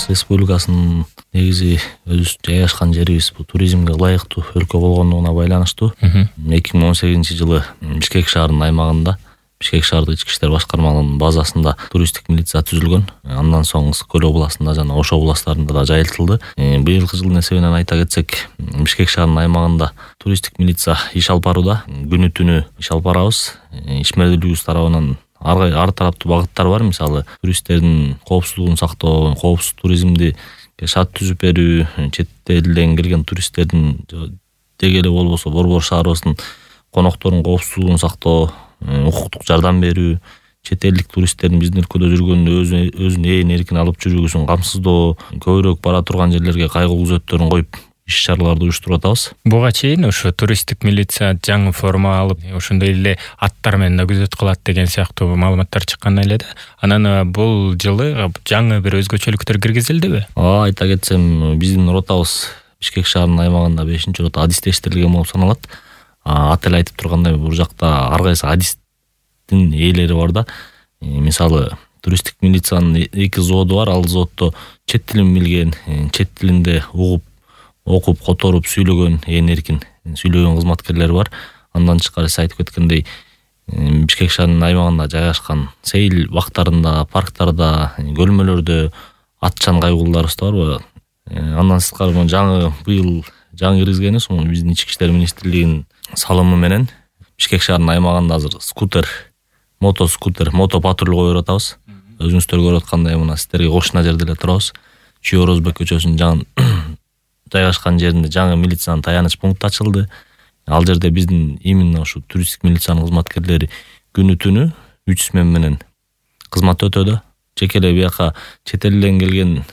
Кыргыз Республикасынын негизи өзүбүз жайгашкан жерибиз бул туризмге ылайыктуу өлкө болгондугуна байланыштуу 2018-жылы Бишкек шаарынын аймагында Бишкек шаардык ички иштер башкармалыгынын базасында туристтик милиция түзүлгөн. Андан соң Ысык көл областында жана Ош областарында да жайылтылды. Быйылкы жылдын эсебинен айта кетсек, Бишкек шаарынын аймагында туристтик милиция иш алып барууда. Күнү түнү иш алып барабыз. Ишмердүүлүгүбүз тарабынан ар тараптуу багыттар бар. Мисалы, туристтердин коопсуздугун сактоо, коопсуз туризмди шарт түзүп берүү, чет элден келген туристтердин деги эле болбосо Борбор шаарыбыздын конокторунун коопсуздугун сактоо, укуктук жардам берүү, чет элдик туристтердин биздин өлкөдө жүргөндө өзүн ээн эркин алып жүрүүсүн камсыздоо, көбүрөөк бара турган жерлерге кайгылуу күзөттөрүн коюп иш-чараларды уюштуруп атабыз. Буга чейин ошо туристтик милиция жаңы форма алып, ошондой эле аттар менен да күзөт кылат деген сыяктуу маалыматтар чыккан эле да. Анан бул жылы жаңы бир өзгөчөлүктөр киргизилдиби? Айта кетсем, биздин ротабыз Бишкек шаарынын аймагында 5-рота адистештирилген болуп саналат. Ат эле айтып тургандай, бул жакта ар кайсы адистин ээлери бар да. Мисалы, туристтик милициянын 2 взводу бар. Ал взводдо чет тилин билген, чет тилинде угуп, окуп, которуп сүйлөгөн, ээн эркин сүйлөгөн кызматкерлер бар. Андан тышкары сиз айтып кеткендей, Бишкек шаарынын аймагында жайгашкан сейил бактарында, парктарда, көлмөлөрдө атчан кайгуулдарыбыз да барбы? Андан тышкары быйыл жаңы киргизгенибиз биздин ички иштер министрлигинин салымы менен Бишкек шаарынын аймагында азыр мото патруль коюп атабыз. Өзүңүздөр көрүп аткандай мына сиздерге кошуна жерде эле турабыз. Чүй Орозбек көчөсүнүн жайгашкан жеринде жаңы милициянын таяныч пункту ачылды. Ал жерде биздин именно ушу туристтик милициянын кызматкерлери күнү түнү 3 смена менен кызмат өтөдө. Жеке эле бияка чет элден келген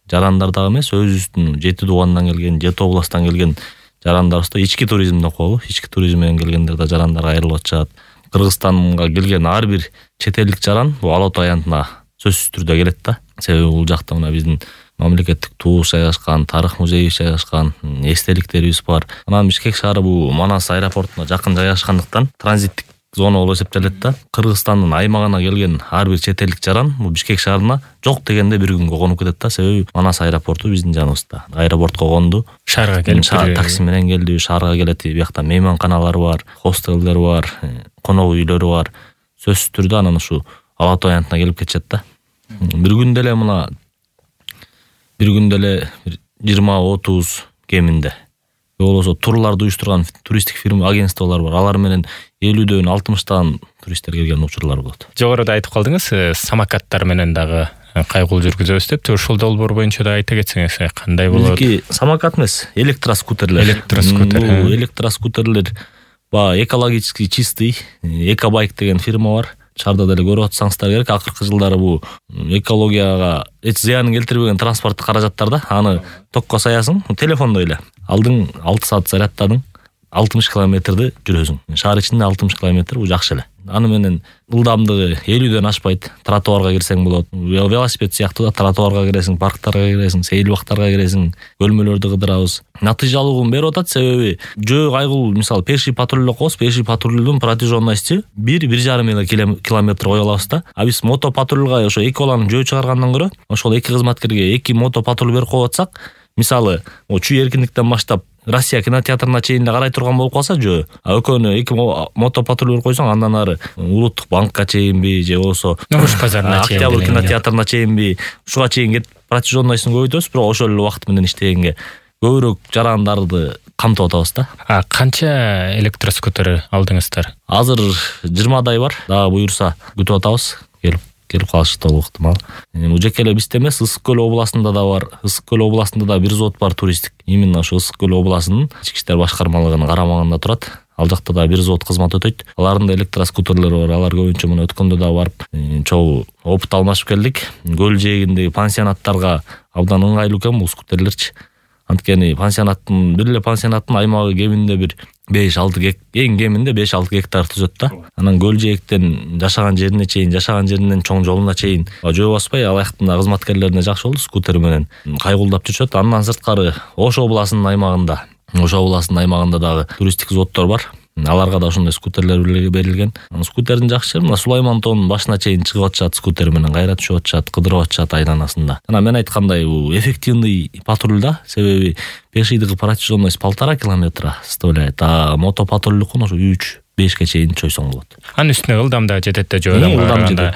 жарандар дагы эмес, өзүбүздүн 7 туугандан келген, 7 областтан келген жарандарыбызды ички туризмди окуялы. Ички туризм менен келгендер да жарандарга айрылып атышат. Кыргызстанга келген ар бир чет элдик жаран бул Ала Тоо аянтына сөзсүз түрдө келет да. Себеби бул жакта мына биздин мамлекеттик туубуз жайгашкан, тарых музейибиз жайгашкан, эстеликтерибиз бар. Анан Бишкек шаары бул Манас аэропортуна жакын жайгашкандыктан транзиттик зона болуп эсептелет да. Кыргызстандын аймагына келген ар бир чет элдик жаран бул Бишкек шаарына жок дегенде бир күнгө конуп кетет да. Себеби Манас аэропорту биздин жаныбызда. Аэропортко конду, шаарга келип такси менен келди, шаарга келет. Биякта мейманканалар бар, хостелдер бар, конок үйлөрү бар. Сөзсүз түрдө анан ушу Ала Тоо аянтына келип кетишет да. Бир күндө эле 20-30 кеминде. Болосо турларды уюштурган туристтик фирма, агентстволор бар. Алар менен 50-дөн 60-тан туристтер келген учурлар болот. Жогоруда айтып калдыңыз, самокаттар менен дагы кайгул жүргүзөбүз деп. Ошол долбоор боюнча да айта кетсеңиз, кандай болот? Бизки самокат эмес, электроскутерлер. Электроскутерлер экологически чистый, Экобайк деген фирма бар. Шаарда деле көрүп атсаңыздар керек. Акыркы жылдары бул экологияга эч зыянын келтирбеген транспорттук каражаттар да. Аны токко саясың, телефондой эле. Алдың 6 саат зарядтадың, 60 километрди жүрөсүң. Шаар ичинде 60 километр бул жакшы эле. Аны менен ылдамдыгы 50дөн ашпайт. Тротуарга кирсең болот. Велосипед сыяктуу да, тротуарга киресиң, парктарга киресиң, сейил бактарга киресиң, көлмөлөрдү кыдырабыз. Натыйжалуулугун берип атат, себеби жөө кайгыл, мисалы, пеший патруль коебуз, пеший патрулдун протяженности 1,5 километр кое алабыз да. А биз мото патрульга ошо 2 баланы жөө чыгаргандан көрө, ошол 2 кызматкерге 2 мото патруль берип коюп атсак, мисалы, чүй эркиндиктен баштап Россия кинотеатрына чейин карай турган болуп калса жөө, а экөөнө 2 мото патруль койсоң, андан ары Улуттук банкка чейинби же болсо Нуруш базарына чейин, Октябрь кинотеатрына чейинби, ушуга чейин кетип протяженностун көбөйтөбүз, бирок ошол эле убакыт менен иштегенге көбүрөөк жарандарды камтып атабыз да. Канча электроскутер алдыңыздар? Азыр 20дай бар. Дагы буюрса күтүп атабыз. Келип калышы толук ыктымал. Бул жеке эле бизде эмес, Ысык көл областында да бар. Ысык көл областында да бир взвод бар туристтик. Именно ошо Ысык көл областынын ички иштер башкармалыгынын карамагында турат. Ал жакта да бир взвод кызмат өтөйт. Алардын да электроскутерлери бар. Алар көбүнчө мына өткөндө да барып, чогуу опыт алмашып келдик. Көл жээгиндеги пансионаттарга абдан ыңгайлуу экен бул скутерлерчи. Анткени бир эле пансионаттын аймагы кеминде бир 5-6 гектар, эң кеминде 5-6 гектар түзөт да. Анан көл жээктен жашаган жеринен чоң жолуна чейин жөө баспай, алаяктын кызматкерлерине жакшы болду, скутер менен кайгуулдап жүрүшөт. Андан сырткары Ош областынын аймагында дагы туристтик взводдор бар. Аларга да ошондой скутерлер берилген. Скутердин жакшы жери мына Сулайман тоонун башына чейин чыгып атышат, скутер менен кайра түшүп атышат, кыдырып атышат айланасында. Жана мен айткандай бул эффективный патруль да, себеби пешийдики протяженность 1,5 километра составляет, а мотопатрульдукун ошо 3-5 чейин чойсоң болот. Анын үстүнө ылдам да жетет да жөө адамга караганда.